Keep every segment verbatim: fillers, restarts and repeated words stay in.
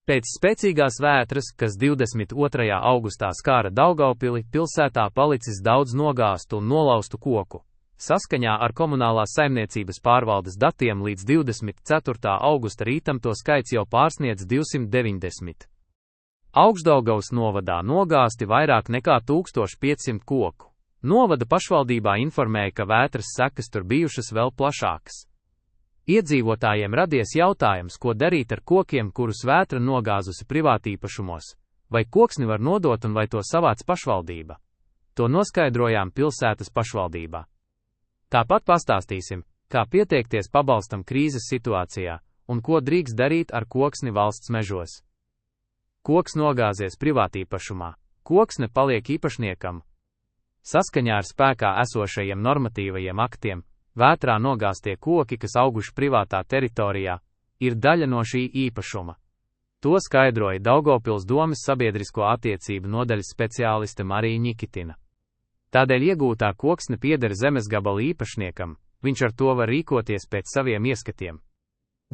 Pēc spēcīgās vētras, kas divdesmit otrajā augustā skāra Daugavpili, pilsētā palicis daudz nogāztu un nolaustu koku. Saskaņā ar komunālās saimniecības pārvaldes datiem līdz divdesmit ceturtā augusta rītam to skaits jau pārsniedz divsimt deviņdesmit. Augšdaugavas novadā nogāzti vairāk nekā tūkstoš piecsimt koku. Novada pašvaldībā informēja, ka vētras sekas tur bijušas vēl plašākas. Iedzīvotājiem radies jautājums, ko darīt ar kokiem, kurus vētra nogāzusi privātīpašumos, vai koksni var nodot un vai to savāc pašvaldība. To noskaidrojām pilsētas pašvaldībā. Tāpat pastāstīsim, kā pieteikties pabalstam krīzes situācijā un ko drīkst darīt ar koksni valsts mežos. Koks nogāzies privātīpašumā, koksne paliek īpašniekam. Saskaņā ar spēkā esošajiem normatīvajiem aktiem, vētrā nogāztie koki, kas auguši privātā teritorijā, ir daļa no šī īpašuma. To skaidroja Daugavpils domes sabiedrisko attiecību nodaļas speciāliste Marija Ņikitina. Tādēļ iegūtā koksne pieder zemes gabala īpašniekam, viņš ar to var rīkoties pēc saviem ieskatiem.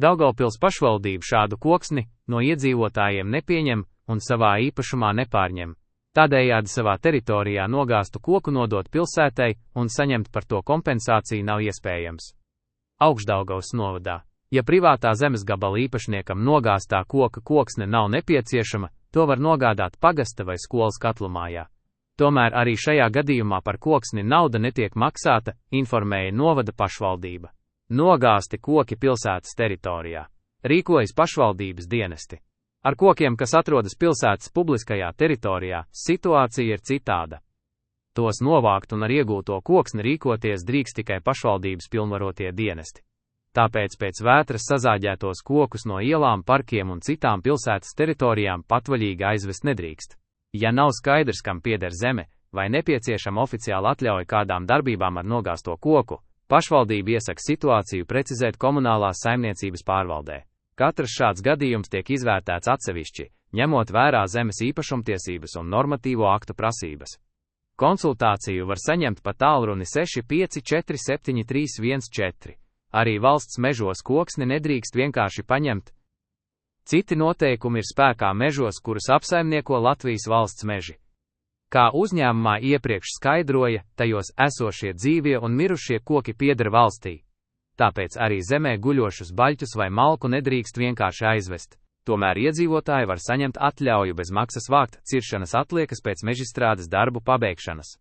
Daugavpils pašvaldība šādu koksni no iedzīvotājiem nepieņem un savā īpašumā nepārņem. Tādējādi savā teritorijā nogāztu koku nodot pilsētai un saņemt par to kompensāciju nav iespējams. Augšdaugavas novadā, ja privātā zemes gabala īpašniekam nogāztā koka koksne nav nepieciešama, to var nogādāt pagasta vai skolas katlumājā. Tomēr arī šajā gadījumā par koksni nauda netiek maksāta, informēja novada pašvaldība. Nogāzti koki pilsētas teritorijā. Rīkojas pašvaldības dienesti. Ar kokiem, kas atrodas pilsētas publiskajā teritorijā, situācija ir citāda. Tos novākt un ar iegūto koksni rīkoties drīkst tikai pašvaldības pilnvarotie dienesti. Tāpēc pēc vētras sazāģētos kokus no ielām, parkiem un citām pilsētas teritorijām patvaļīgi aizvest nedrīkst. Ja nav skaidrs, kam pieder zeme, vai nepieciešama oficiāla atļauja kādām darbībām ar nogāzto koku, pašvaldība iesaka situāciju precizēt komunālās saimniecības pārvaldē. Katrs šāds gadījums tiek izvērtēts atsevišķi, ņemot vērā zemes īpašumtiesības un normatīvo aktu prasības. Konsultāciju var saņemt pa tālruni seši pieci četri septiņi trīs viens četri. Arī valsts mežos koksni nedrīkst vienkārši paņemt. Citi noteikumi ir spēkā mežos, kurus apsaimnieko Latvijas valsts meži. Kā uzņēmumā iepriekš skaidroja, tajos esošie dzīvie un mirušie koki pieder valstī. Tāpēc arī zemē guļošus baļķus vai malku nedrīkst vienkārši aizvest. Tomēr iedzīvotāji var saņemt atļauju bez maksas vākt ciršanas atliekas pēc mežstrādes darbu pabeigšanas.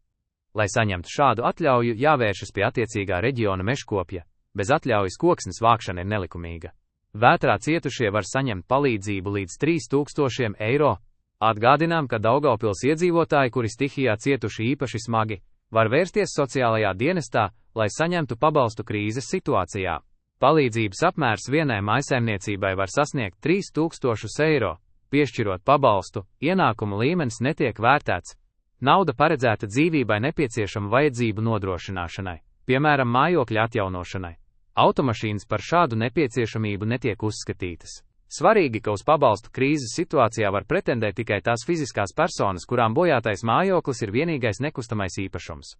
Lai saņemtu šādu atļauju, jāvēršas pie attiecīgā reģiona mežkopja. Bez atļaujas koksnes vākšana ir nelikumīga. Vētrā cietušie var saņemt palīdzību līdz trīs tūkstošiem eiro. Atgādinām, ka Daugavpils iedzīvotāji, kuri stihijā cietuši īpaši smagi, var vērsties sociālajā dienestā, lai saņemtu pabalstu krīzes situācijā. Palīdzības apmērs vienai mājsaimniecībai var sasniegt trīs tūkstošus eiro. Piešķirot pabalstu, ienākumu līmenis netiek vērtēts. Nauda paredzēta dzīvībai nepieciešama vajadzību nodrošināšanai, piemēram, mājokļa atjaunošanai. Automašīnas par šādu nepieciešamību netiek uzskatītas. Svarīgi, ka uz pabalstu krīzes situācijā var pretendēt tikai tās fiziskās personas, kurām bojātais mājoklis ir vienīgais nekustamais īpašums.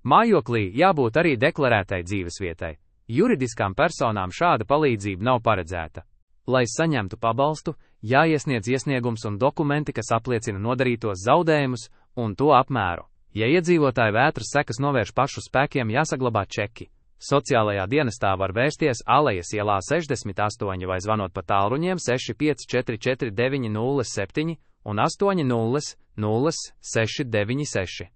Mājoklī jābūt arī deklarētai dzīvesvietai. Juridiskām personām šāda palīdzība nav paredzēta. Lai saņemtu pabalstu, jāiesniedz iesniegums un dokumenti, kas apliecina nodarītos zaudējumus un to apmēru. Ja iedzīvotāji vētras sekas novērš pašu spēkiem, jāsaglabā čeki. Sociālajā dienestā var vērsties Alejas ielā sešdesmit astoņi vai zvanot pa tālruņiem seši pieci četri četri deviņi nulle septiņi un astoņi nulle nulle seši deviņi seši.